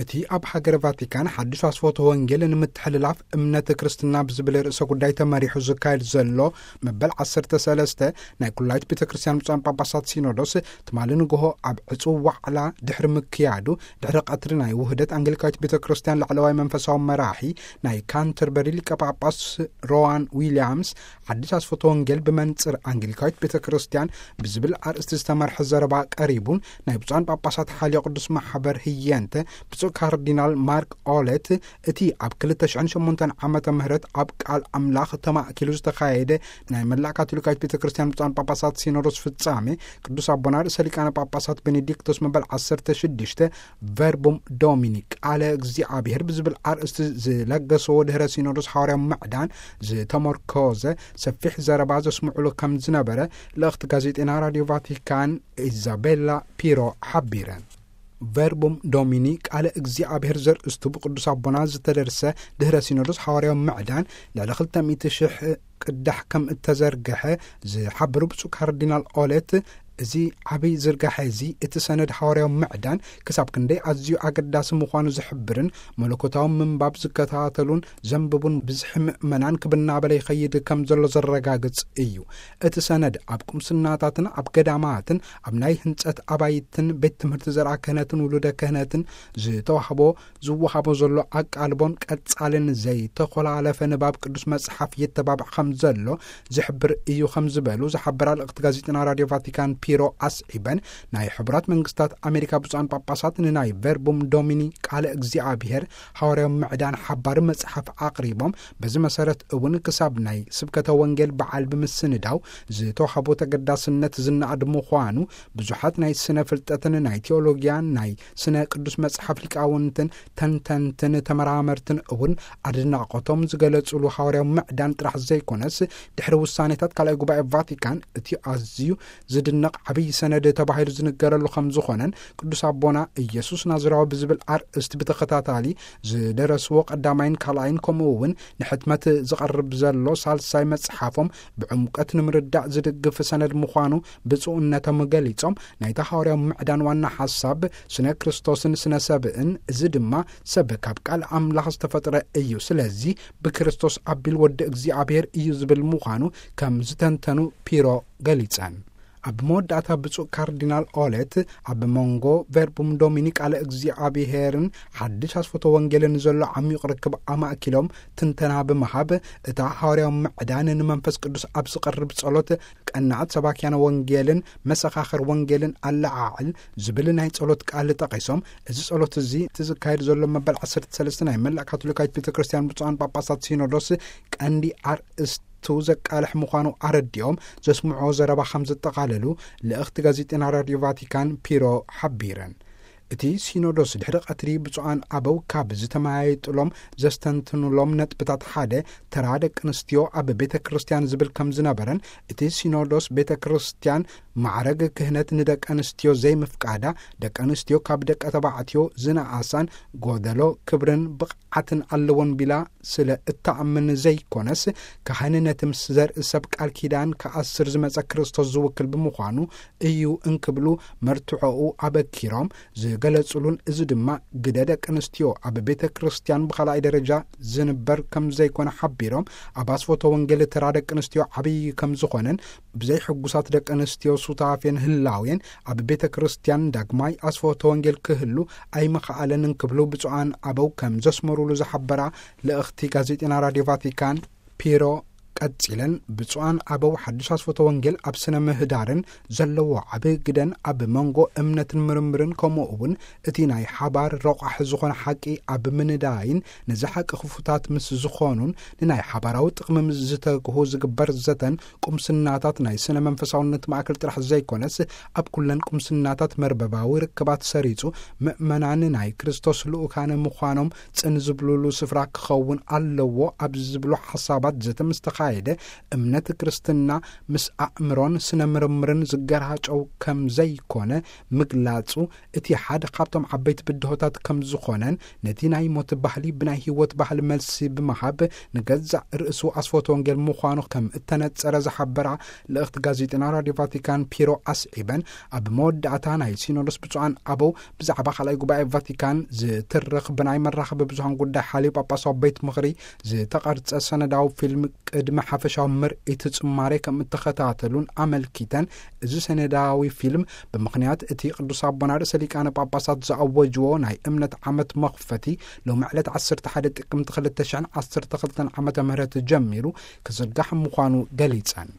እቲ ኣብ ሃገረ ቫቲካን ሓድሽ ኣስፎቶ ወንጌል ንምትሕልላፍ እምነት ክርስትና ብዝብል ርእሰ ጉዳይ ተመሪሑ ዝካየድ ዘሎ መበል ዓሰርተ ሰለስተ ናይ ኩላይት ቤተ ክርስቲያን ብፁዓን ጳጳሳት ሲኖዶስ ትማሊ ንግሆ ኣብ ዕጹው ዋዕላ ድሕሪ ምክያዱ፣ ድሕሪ ቀትሪ ናይ ውህደት ኣንግሊካዊት ቤተ ክርስቲያን ላዕለዋይ መንፈሳዊ መራሒ ናይ ካንተርበሪ ሊቀ ጳጳስ ሮዋን ዊልያምስ ሓድሽ ኣስፎቶ ወንጌል ብመንጽር ኣንግሊካዊት ቤተ ክርስቲያን ብዝብል ኣርእስቲ ዝተመርሐ ዘረባ ቀሪቡን፣ ናይ ብፁዓን ጳጳሳት ሓልዮ ቅዱስ ማሕበር ህየንተ ብፁዕ ካርዲናል ማርክ ኦለት፣ እቲ ኣብ ክልተ ሽሕን ሸሞንተን ዓመተ ምህረት ኣብ ቃል ኣምላኽ ተማእኪሉ ዝተኻየደ ናይ መላእ ካቶሊካዊት ቤተ ክርስቲያን ብፁዓን ጳጳሳት ሲኖዶስ ፍጻሜ፣ ቅዱስ ኣቦና ርእሰ ሊቃነ ጳጳሳት ቤኔዲክቶስ መበል ዓሰርተ ሽዱሽተ ቨርቡም ዶሚኒ፣ ቃለ እግዚኣብሔር ብዝብል ኣርእስቲ ዝለገሰዎ ድሕረ ሲኖዶስ ሓዋርያዊ ምዕዳን ዝተመርኮዘ ሰፊሕ ዘረባ ዘስምዑሉ ከም ዝነበረ ልእኽቲ ጋዜጠና ራዲዮ ቫቲካን ኢዛቤላ ፒሮ ሓቢረን። ቨርቡም ዶሚኒ፣ ቃለ እግዚኣብሔር ዘርእስቱ ብቅዱስ ኣቦና ዝተደርሰ ድሕረ ሲኖዶስ ሓዋርያዊ ምዕዳን ልዕሊ ክልተ ሚእቲ ሽሕ ቅዳሕ ከም እተዘርግሐ ዝሓበሩ ብፁዕ ካርዲናል ኦለት፣ እዚ ዓብይ ዝርጋሐ እዚ እቲ ሰነድ ሓዋርያዊ ምዕዳን ክሳብ ክንደይ ኣዝዩ ኣገዳሲ ምዃኑ ዝሕብርን፣ መለኮታዊ ምንባብ ዝከታተሉን ዘንብቡን ብዝሒ ምእመናን ክብ እናበለ ይኸይድ ከም ዘሎ ዘረጋግጽ እዩ። እቲ ሰነድ ኣብ ቁምስናታትን ኣብ ገዳማትን ኣብ ናይ ህንጸት ኣባይትን ቤት ትምህርቲ ዘርኣ ክህነትን ውሉደ ክህነትን ዝተዋህቦ ዝወሃቦ ዘሎ ኣቃልቦን ቀጻልን ዘይተኾላለፈ ንባብ ቅዱስ መጽሓፍ የተባብዕ ከም ዘሎ ዝሕብር እዩ ከም ዝበሉ ዝሓበራ ልእኽቲ ጋዜጠና ራዲዮ ቫቲካን ፒሮ ኣስዒበን፣ ናይ ሕቡራት መንግስታት ኣሜሪካ ብፁዓን ጳጳሳት ንናይ ቨርቡም ዶሚኒ ቃለ እግዚኣብሔር ሓዋርያዊ ምዕዳን ሓባሪ መጽሓፍ ኣቕሪቦም፣ በዚ መሰረት እውን ክሳብ ናይ ስብከተ ወንጌል በዓል ብምስንዳው ዝተዋህቦ ተገዳስነት ዝነኣድ ምዃኑ ብዙሓት ናይ ስነ ፍልጠትን ናይ ቴዎሎጊያን ናይ ስነ ቅዱስ መጽሓፍ ሊቃውንትን ተንተንትን ተመራመርትን እውን ኣድናቖቶም ዝገለጹሉ ሓዋርያዊ ምዕዳን ጥራሕ ዘይኮነስ፣ ድሕሪ ውሳኔታት ካልኣይ ጉባኤ ቫቲካን እቲ ኣዝዩ ዝድነቕ ዓብዪ ሰነድ ተባሂሉ ዝንገረሉ ከም ዝኾነን፣ ቅዱስ ኣቦና ኢየሱስ ናዝራዊ ብዝብል ኣርእስቲ ብተኸታታሊ ዝደረስዎ ቀዳማይን ካልኣይን፣ ከምኡ እውን ንሕትመት ዝቐርብ ዘሎ ሳልሳይ መጽሓፎም ብዕምቀት ንምርዳእ ዝድግፍ ሰነድ ምዃኑ ብፁዕነቶም ገሊጾም፣ ናይታ ሓዋርያዊ ምዕዳን ዋና ሓሳብ ስነ ክርስቶስን ስነ ሰብእን፣ እዚ ድማ ሰብ ካብ ቃል ኣምላኽ ዝተፈጥረ እዩ፣ ስለዚ ብክርስቶስ ኣቢል ወዲ እግዚኣብሔር እዩ ዝብል ምዃኑ ከም ዝተንተኑ ፒሮ ገሊጸን። ኣብ መወዳእታ ብፁዕ ካርዲናል ኦለት ኣብ መንጎ ቨርቡም ዶሚኒ ቃለ እግዚኣብሔርን ሓድሽ ኣስፎቶ ወንጌልን ዘሎ ዓሚቕ ርክብ ኣማእኪሎም ትንተና ብምሃብ፣ እታ ሓዋርያዊ ምዕዳን ንመንፈስ ቅዱስ ኣብ ዝቐርብ ጸሎት ቀናዕት ሰባክያነ ወንጌልን መሰኻኽር ወንጌልን ኣለዓዕል ዝብል ናይ ጸሎት ቃል ጠቒሶም፣ እዚ ጸሎት እዚ እቲ ዝካየድ ዘሎ መበል ዓሰርተ ሰለስተ ናይ መላእ ካቶሊካዊት ቤተ ክርስቲያን ብፁዓን ጳጳሳት ሲኖዶስ ቀንዲ ኣርእስቱ ዘቃልሕ ምዃኑ ኣረዲኦም፣ ዘስምዖ ዘረባ ከም ዘጠቓለሉ ልእኽቲ ጋዜጠና ራዲዮ ቫቲካን ፒሮ ሓቢረን። እቲ ሲኖዶስ ድሕሪ ቀትሪ ብፁዓን ኣበው ካብ ዝተመያየጥሎም ዘስተንትኑሎም ነጥብታት ሓደ፣ ተራ ደቂ ኣንስትዮ ኣብ ቤተ ክርስቲያን ዝብል ከም ዝነበረን፣ እቲ ሲኖዶስ ቤተ ክርስቲያን ማዕረግ ክህነት ንደቂ ኣንስትዮ ዘይምፍቃዳ፣ ደቂ ኣንስትዮ ካብ ደቂ ተባዕትዮ ዝነኣሳን ጎደሎ ክብርን ብቕዓትን ኣለወን ቢላ ስለ እተኣምን ዘይኮነስ፣ ካህን ነቲ ምስ ዘርኢ ሰብ ቃል ኪዳን ክኣስር ዝመጸ ክርስቶስ ዝውክል ብምዃኑ እዩ እንክብሉ መርትዖኡ ኣበኪሮም ዝገለጹሉን፣ እዚ ድማ ግደ ደቂ ኣንስትዮ ኣብ ቤተ ክርስቲያን ብኻልኣይ ደረጃ ዝንበር ከም ዘይኮነ ሓቢሮም፣ ኣብ ኣስፎቶ ወንጌል ተራ ደቂ ኣንስትዮ ዓብዪ ከም ዝኾነን፣ ብዘይሕጉሳት ደቂ ኣንስትዮ ሱታፌን ህላዌን ኣብ ቤተ ክርስቲያን ዳግማይ ኣስፎቶ ወንጌል ክህሉ ኣይምኸኣለን እንክብሉ ብፁዓን ኣበው ከም ዘስመሩሉ ዝሓበራ ልእኽቲ ጋዜጠና ራዲዮ ቫቲካን ፒሮ ቀጺለን፣ ብፁዓን ኣበው ሓድሽ ኣስፎቶ ወንጌል ኣብ ስነ ምህዳርን ዘለዎ ዓቢ ግደን ኣብ መንጎ እምነትን ምርምርን፣ ከምኡ እውን እቲ ናይ ሓባር ረቋሒ ዝኾነ ሓቂ ኣብ ምንዳይን፣ ነዚ ሓቂ ክፉታት ምስ ዝኾኑን ንናይ ሓባራዊ ጥቕሚ ምስ ዝተግሁ ዝግበር ዘተን ቁምስናታት ናይ ስነ መንፈሳውነት ማእከል ጥራሕ ዘይኮነስ፣ ኣብ ኩለን ቁምስናታት መርበባዊ ርክባት ሰሪጹ፣ ምእመናን ናይ ክርስቶስ ልኡካነ ምዃኖም ጽን ዝብሉሉ ስፍራ ክኸውን ኣለዎ ኣብ ዝብሉ ሓሳባት ዘተ ምስ ተኻየደ፣ ዘካየደ፣ እምነት ክርስትና ምስ ኣእምሮን ስነ ምርምርን ዝገራጨው ከም ዘይኮነ ምግላጹ፣ እቲ ሓደ ካብቶም ዓበይቲ ብድሆታት ከም ዝኾነን፣ ነቲ ናይ ሞት ባህሊ ብናይ ህይወት ባህሊ መልሲ ብምሃብ፣ ንገዛእ ርእሱ ኣስፈት ወንጌል ምዃኑ ከም እተነጸረ ዝሓበራ ልእኽቲ ጋዜጠና ራድዮ ቫቲካን ፒሮ ኣስዒበን፣ ኣብ መወዳእታ ናይ ሲኖዶስ ብፁዓን ኣበው ብዛዕባ ካልኣይ ጉባኤ ቫቲካን ዝትርኽ ብናይ መራኸቢ ብዙሃን ጉዳይ ሓልዮ ጳጳሳዊ ቤት ምኽሪ ዝተቐርጸ ሰነዳዊ ፊልም ቅድሚ ሓፈሻዊ ምርኢት ጽማሬ ከም እተኸታተሉን ኣመልኪተን፣ እዚ ሰነዳዊ ፊልም ብምኽንያት እቲ ቅዱስ ኣቦና ርእሰ ሊቃነ ጳጳሳት ዝኣወጅዎ ናይ እምነት ዓመት መኽፈቲ ሎሚ ዕለት ዓሰርተ ሓደ ጥቅምቲ ክልተ ሽሕን ዓሰርተ ክልተን ዓመተ ምህረት ጀሚሩ ክዝርጋሕ ምዃኑ ገሊጸን።